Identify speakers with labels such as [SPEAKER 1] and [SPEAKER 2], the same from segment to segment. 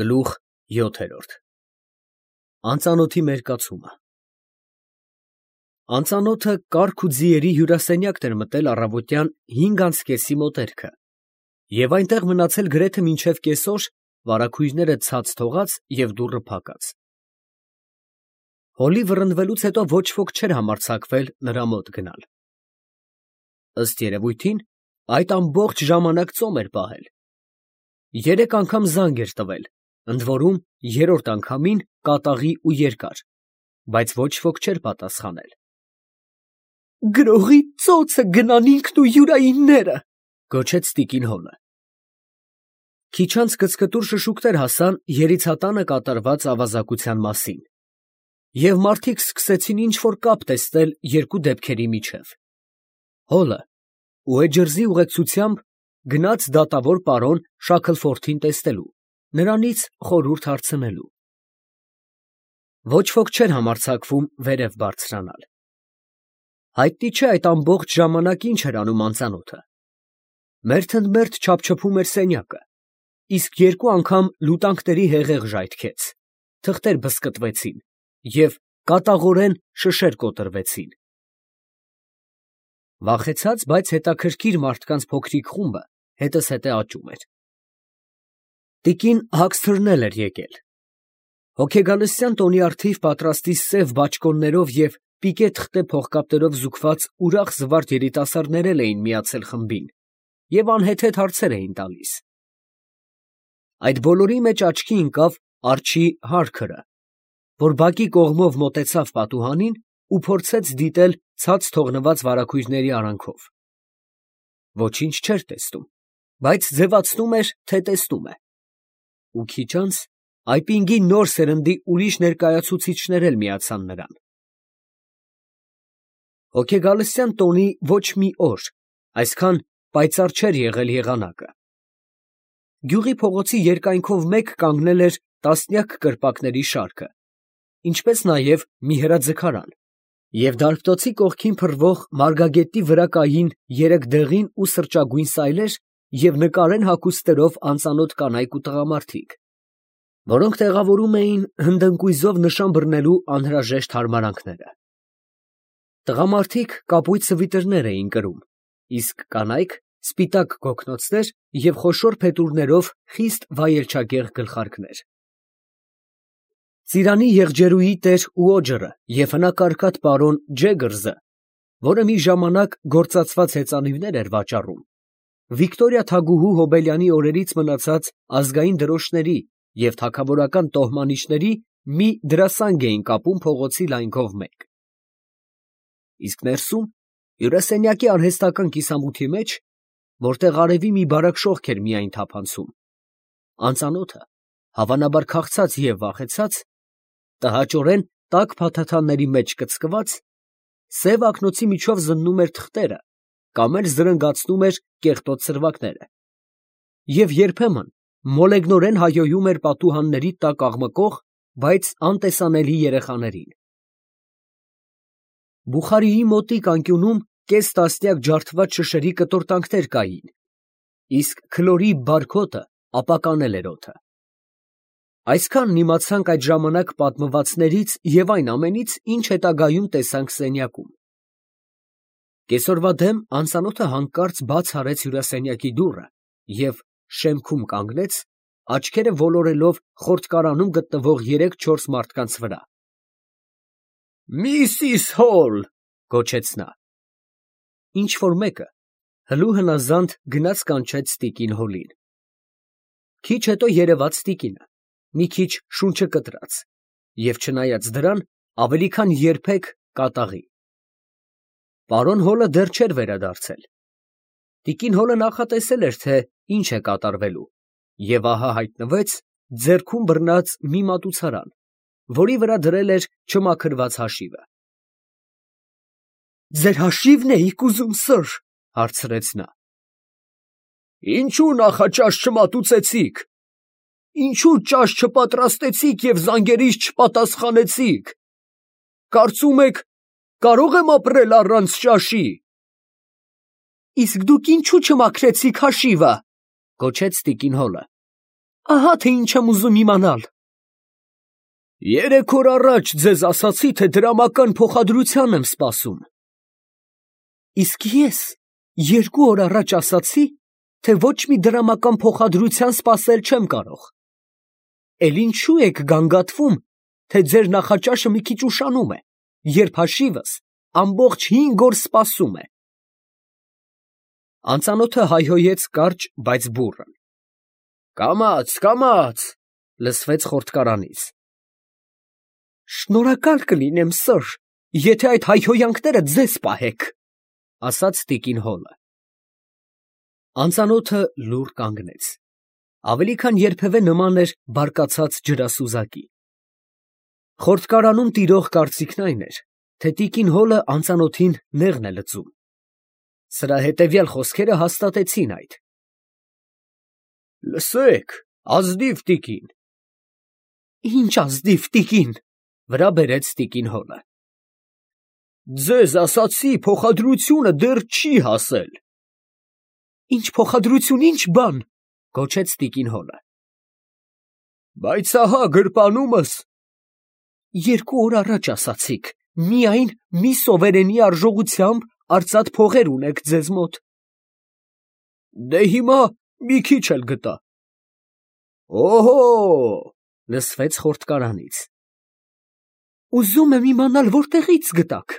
[SPEAKER 1] Գլուխ 7 Անծանոթի մերկացումը Անծանոթը կառք ու ձիերի հյուրասենյակն էր մտել առավոտյան 5:30 մոտերքը և այնտեղ մնացել գրեթե մինչև կեսօր, վարագույրները ցած թողած և դուռը փակած։ Հոլի վռնդվելուց հետո ոչ ոք չէր համարձակվել նրա մոտ գնալ։ Ըստ երևույթին, այդ ամբողջ ժամանակ ծոմ էր պահել։ 3 անգամ զանգ էր տվել, ընդորում երրորդ անգամին կատաղի ու երկար, բայց ոչ ոք չէր պատասխանել։ «Գրողի ծոցը գնան ինքն ու յուրայինները», գոչեց տիկին Հոլը։ Քիչ անց կծկտուր շշուկներ հասան երիցատանը կատարված ավազակության մասին, և մարդիկ սկսեցին ինչ֊որ կապ տեսնել երկու դեպքերի միջև։ Հոլը ուեջրզի ուղեկցությամբ գնաց դատավոր պարոն Շաքլֆորդին տեսնելու, նրանից խորհուրդ հարցնելու։ Ոչ ոք չէր համարձակվում վերև բարձրանալ։ Հայտնի չէ այդ ամբողջ ժամանակ ինչ էր անում անծանոթը։ Մերթընդմերթ չափչփում էր սենյակը, իսկ 2 անգամ լուտանքների հեղեղ ժայթքեց, թղթեր բզկտվեցին և կատաղորեն շշեր կոտրվեցին։ Վախեցած, բայց հետաքրքիր մարդկանց փոքրիկ խումբը հետզհետե աճում էր։ Տիկին Հաքսթըրն էր եկել։ Հոգեգանության տոնի առթիվ պատրաստի սև բաճկոններով և պիկե թղթե փողկապերով զուգված ուրախ զվարթ երիտասարդներ էին միացել խմբին և անհեթեթ հարցեր էին տալիս։ Այդ բոլորի մեջ աչքի ընկավ արջի Հարքըրը, որ բակի կողմով մոտեցավ պատուհանին ու փորձեց դիտել ցած թողնված վարագույրների արանքով։ Ոչինչ չէր տեսնում, բայց ձևացնում էր, թե տեսնում է։ Ու քիչ անց այպինգի նոր սերնդի ուրիշ ներկայացուցիչներ էլ միացան նրան։ Հոգեգանության տոնի ոչ մի օր այսքան պայծառ չէր եղել եղանակը։ Գյուղի փողոցի երկայնքով մեկ կանգնել էր տասնյակ կրպակների շարքը, ինչպես նաև մի հրաձգարան, և դարբնոցի կողքին փռվող մարգագետի վրա կային 3 դեղին ու սրճագույն սայլեր և նկարեն հագուստներով անծանոթ կանայք ու տղամարդիկ, որոնք տեղավորում էին հնդընկույզով նշան բռնելու անհրաժեշտ հարմարանքները։ Տղամարդիկ կապույտ սվիտրներ էին կրում, իսկ կանայք սպիտակ գոգնոցներ և խոշոր փետուրներով խիստ վայելչագեղ գլխարկներ։ Ծիրանի եղջերուհի տեր Ուոջըրը և հնակարկատ պարոն Ջեգրզը, որը մի ժամանակ գործածված հեծանիվներ էր վաճառում, Վիկտորիա թագուհու Հոբելյանի օրերից մնացած ազգային դրոշների և թագավորական տոհմանիչների մի դրասանգ էին կապում փողոցի լայնքով մեկ։ Իսկ ներսում, հյուրասենյակի արհեստական կիսամութի մեջ, որտեղ արևի մի բարակ շողք էր միայն թափանցում, անծանոթը, հավանաբար քաղցած և վախեցած, տհաճորեն տաք փաթաթանների մեջ կծկված, սև ակնոցի միջով զննում էր թղթերը կամ էլ զրնգացնում էր կեղտոտ սրվակները և երբեմն մոլեգնորեն հայհոյում էր պատուհանների տակ աղմկող, բայց անտեսանելի երեխաներին։ Բուխարիի մոտիկ անկյունում կես տասնյակ ջարդված շշերի կտորտանքներ կային, իսկ քլորի բարկոտը ապականել էր օդը։ Այսքանն իմացանք այդ ժամանակ պատմվածներից և այն ամենից, ինչ հետագայում տեսանք սենյակում։ Կեսօրվա դեմ անծանոթը հանկարծ բաց արեց հյուրասենյակի դուռը և շեմքում կանգնեց, աչքերը ոլորելով խորտկարանում գտնվող 3-4 մարդկանց վրա։ «Միսիս Հոլ», գոչեց նա։ Ինչ֊որ մեկը հլու հնազանդ գնաց կանչեց տիկին Հոլին։ Քիչ հետո երևաց տիկինը, մի քիչ շունչը կտրած և, չնայած դրան, ավելի քան երբեք կատաղի։ Պարոն Հոլը դեռ չէր վերադարձել։ Տիկին Հոլը նախատեսել էր, թե ինչ է կատարվելու, և ահա հայտնվեց ձեռքում բռնած մի մատուցարան, որի վրա դրել էր չմաքրված հաշիվը։ «Ձեր հաշիվն էիք ուզում, սըր», հարցրեց նա։ «Ինչո՞ւ նախաճաշ չմատուցեցիք, ինչո՞ւ ճաշ չպատրաստեցիք և զանգերիս չպատասխանեցիք, կարծում եք կարո՞ղ եմ ապրել առանց ճաշի»։ «Իսկ դուք ինչո՞ւ չմաքրեցիք հաշիվը», գոչեց տիկին Հոլը։ Ահա թե ինչ եմ ուզում իմանալ։ 3 օր առաջ ձեզ ասացի, թե դրամական փոխադրության եմ սպասում։ Իսկ ես 2 օր առաջ ասացի, թե ոչ մի դրամական փոխադրության սպասել չեմ կարող։ Էլ ինչու եք գանգատվում, թե ձեր նախաճաշը մի քիչ ուշանում է, երբ հաշիվս ամբողջ 5 օր սպասում է։ Անծանոթը հայհոյեց կարճ, բայց բուռն։ Կամաց, կամաց, լսվեց խորտկարանից։ Շնորհակալ կլինեմ, սըր, եթե այդ հայհոյանքները ձեզ պահեք, ասաց տիկին Հոլը։ Անծանոթը լուռ կանգնեց։ Ավելի քան երբևէ նման էր բարկացած ջրասուզակի։ Խորտկարանում տիրող կարծիքն այն էր, թե տիկին Հոլը անծանոթին նեղն է լծում։ Սրա հետևյալ խոսքերը հաստատեցին այդ։ Լսեք, ազնիվ տիկին։ Ինչ ազնիվ տիկին, վրա բերեց տիկին Հոլը։ Ձեզ ասացի, փոխադրությունը դեռ չի հասել։ Ինչ փոխադրություն, ինչ բան, գոչեց տիկին Հոլը։ Բայց ահա գրպանումս։ 2 օր առաջ ասացիք, միայն մի սովերենի արժողությամբ արծաթ փողեր ունեք ձեզ մոտ։ Դե հիմա մի քիչ էլ գտա։ Օհո, լսվեց խորտկարանից։ Ուզում եմ իմանալ, որտեղից գտաք,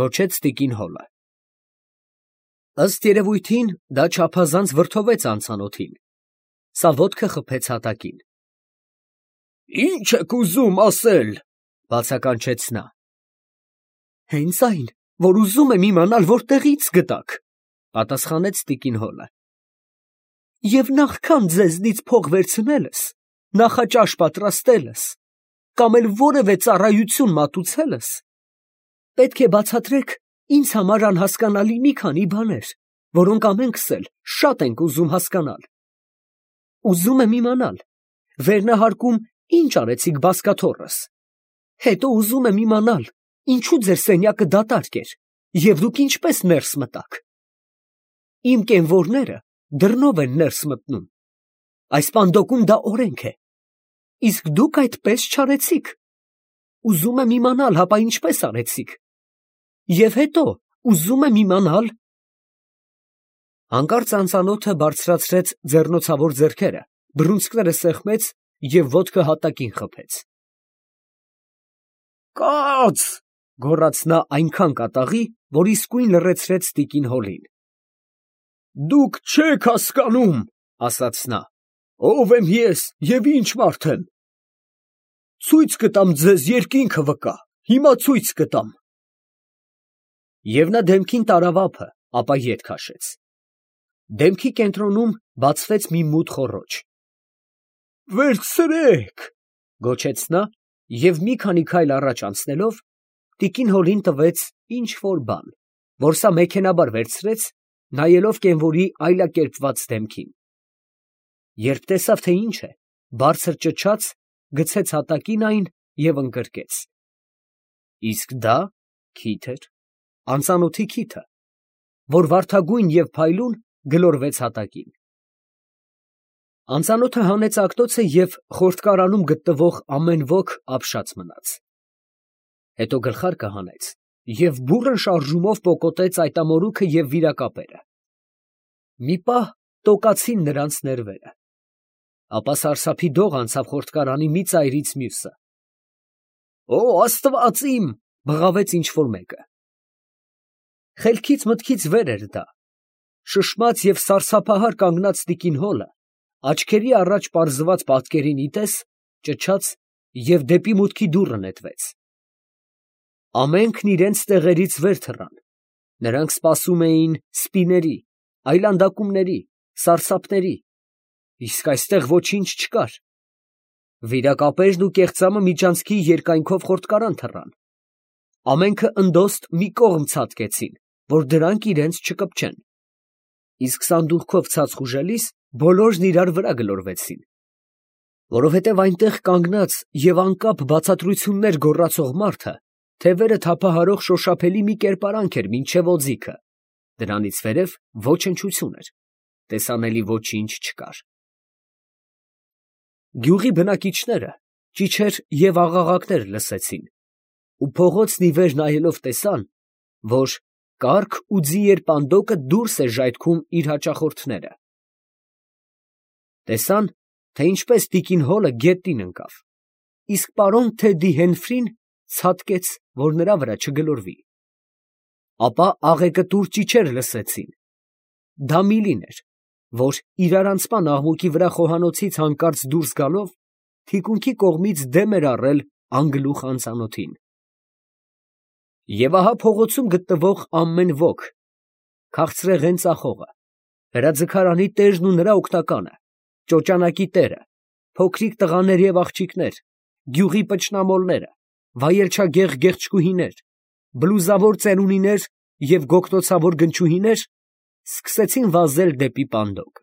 [SPEAKER 1] գոչեց տիկին Հոլը։ Ըստ երևույթին, դա չափազանց վրդովեց անծանոթին։ Սա ոտքը խփեց հատակին։ Ինչ եք ուզում ասել, բացականչեց նա։ Հենց այն, որ ուզում եմ իմանալ, որտեղից գտաք, պատասխանեց տիկին Հոլը։ Եվ նախքան ձեզնից փող վերցնելս, նախաճաշ պատրաստելս, կամ էլ որևէ ծառայություն մատուցելս, պետք է բացատրեք ինձ համար անհասկանալի մի քանի բաներ, որոնք ամենքս էլ շատ ենք ուզում հասկանալ։ Ուզում եմ իմանալ, վերնահարկում ինչ արեցիք բազկաթոռս, հետո ուզում եմ իմանալ, ինչու ձեր սենյակը դատարկ էր, և դուք ինչպես ներս մտաք։ Իմ կենվորները դռնով են ներս մտնում։ Այս պանդոկում դա օրենք է։ Իսկ դուք այդպես չարեցիք։ Ուզում եմ իմանալ, հապա ինչպես արեցիք։ Եվ հետո ուզում եմ իմանալ… Հանկարծ անծանոթը բարձրացրեց ձեռնոցավոր ձեռքերը, բռունցքները սեղմեց և ոտքը հատակին խփեց։ Կաց, գոռաց նա այնքան կատաղի, որ իսկույն լռեցրեց տիկին Հոլին։ Դուք չեք հասկանում, ասաց նա, ով եմ ես և ինչ մարդ եմ։ Ցույց կտամ ձեզ երկինքը վկա, հիմա ցույց կտամ։ Եվ նա դեմքին տարավ ափը, ապա ետ քաշեց։ Դեմքի կենտրոնում բացվեց մի մութ խոռոչ։ Վերցրեք, գոչեց նա և մի քանի քայլ առաջ անցնելով, տիկին Հոլին տվեց ինչ֊որ բան, որ սա մեքենաբար վերցրեց, նայելով կենվորի այլակերպված դեմքին։ Երբ տեսավ, թե ինչ է, բարձր ճչաց, գցեց հատակին այն և ընկրկեց։ Իսկ դա քիթ էր, անծանոթի քիթը, որ վարդագույն և փայլուն գլորվեց հատակին։ Անծանոթը հանեց ակտոցը և խորտկարանում գտնվող ամեն ոք ապշած մնաց։ Հետո գլխարկը հանեց և բուռն շարժումով պոկոտեց այտամորուքը և վիրակապերը։ Մի պահ տոկացին նրանց ներվերը։ Ապա սարսափի դող անցավ խորտկարանի մի ծայրից մյուսը։ Օ, Աստված իմ, բղավեց ինչ֊որ մեկը։ Խելքից մտքից վեր էր դա։ Շշմած և սարսափահար կանգնած տիկին Հոլը, աչքերի առաջ պարզված պատկերին ի տես, ճչաց և դեպի մուտքի դուռը նետվեց։ Ամենքն իրենց տեղերից վեր թռան։ Նրանք սպասում էին սպիների, այլանդակումների, սարսափների, իսկ այստեղ ոչինչ չկար։ Վիրակապերն ու կեղծամը միջանցքի երկայնքով խորտկարան թռան։ Ամենքը ընդոստ մի կողմ ցատկեցին, որ դրանք իրենց չկպչեն։ Իսկ սանդուղքով ցած խուժելիս բոլորն իրար վրա գլորվեցին։ Որովհետև այնտեղ կանգնած և անկապ բացատրություններ գոռացող մարդը թևերը թափահարող շոշափելի մի կերպարանք էր մինչև օձիքը, դրանից վերև ոչնչություն էր, տեսանելի ոչինչ չկար։ Գյուղի բնակիչները ճիչեր և աղաղակներ լսեցին ու փողոցն ի վեր նայելով տեսան, որ կառք ու ձիեր պանդոկը դուրս է ժայթքում իր հաճախորդները. տեսան, թե ինչպես տիկին Հոլը գետնին ընկավ, իսկ պարոն Թեդի Հենֆրին ցատկեց, որ նրա վրա չգլորվի. ապա աղեկտուր ճիչեր լսեցին. դա Միլին էր, որ իրարանցման աղմուկի վրա խոհանոցից հանկարծ դուրս գալով, թիկունքի կողմից դեմ էր առել անգլուխ անծանոթին։ Եվ ահա փողոցում գտնվող ամեն ոք, քաղցրեղեն ծախողը, հրաձգարանի տերն ու նրա օգնականը, ճոճանակի տերը, փոքրիկ տղաներ և աղջիկներ, գյուղի պճնամոլները, վայելչագեղ գեղչկուհիներ, բլուզավոր ծերունիներ և գոգնոցավոր գնչուհիներ սկսեցին վազել դեպի պանդոկ։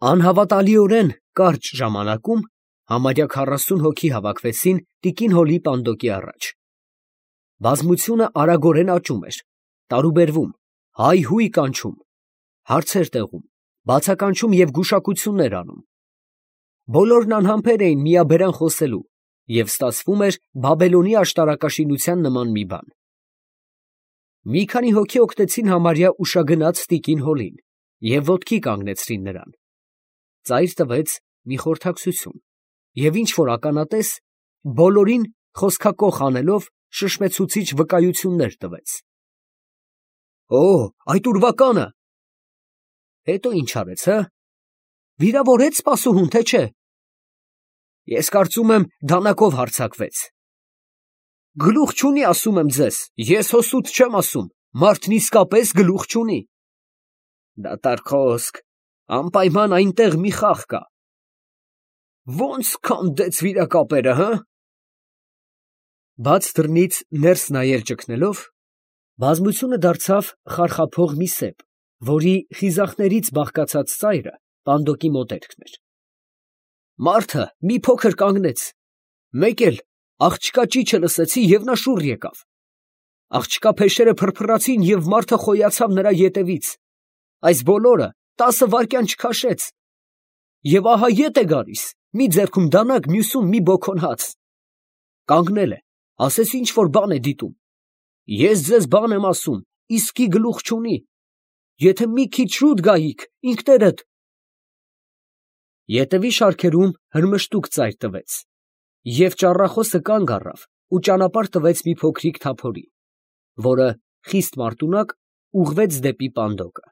[SPEAKER 1] Անհավատալիորեն կարճ ժամանակում համարյա 40 հոգի հավաքվեցին տիկին Հոլի պանդոկի առաջ։ Բազմությունը արագորեն աճում էր, տարուբերվում, հայհույ կանչում, հարցեր տեղում, բացականչում և գուշակություններ անում։ Բոլորն անհամբեր էին միաբերան խոսելու, և ստացվում էր Բաբելոնի աշտարակաշինության նման մի բան։ Մի քանի հոգի օգնեցին համարյա ուշագնաց տիկին Հոլին և ոտքի կանգնեցրին նրան։ Ծայր տվեց մի խորհրդակցություն, և ինչ որ ականատես բոլորին խոսքակոխ անելով շշմեցուցիչ վկայություններ տվեց։ Այդ ուրվականը… Հետո ի՞նչ արեց, հը… վիրավորե՞ց սպասուհուն, թե չէ… Ես կարծում եմ դանակով հարձակվեց… Գլուխ չունի, ասում եմ ձեզ, ես հո սուտ չեմ ասում, մարդն իսկապես գլուխ չունի… Դատարկ խոսք, անպայման այնտեղ մի խաղ կա… Ո՞նց քանդեց վիրակապերը, հը… Բաց դռնից ներս նայել ճգնելով, բազմությունը դարձավ խարխափող մի սեպ, որի խիզախներից բաղկացած ծայրը պանդոկի մոտերքն էր… Մարդը մի փոքր կանգնեց, մեկ էլ աղջկա ճիչը լսեցի և նա շուռ եկավ… Աղջկա փեշերը փրփրացին և մարդը խոյացավ նրա ետևից… Այս բոլորը 10 վայրկյան չքաշեց… Եվ ահա ետ է գալիս, մի ձեռքում դանակ, մյուսում մի բոքոն հաց… Կանգնել է, ասես ինչ որ բան է դիտում… Ես ձեզ բան եմ ասում, իսկի գլուխ չունի… Եթե մի քիչ շուտ գայիք, ինքներդ… Ետևի շարքերում հրմշտուկ ծայր տվեց, և ճառախոսը կանգ առավ ու ճանապարհ տվեց մի փոքրիկ թափորի, որը խիստ մարտունակ ուղղվեց դեպի պանդոկը։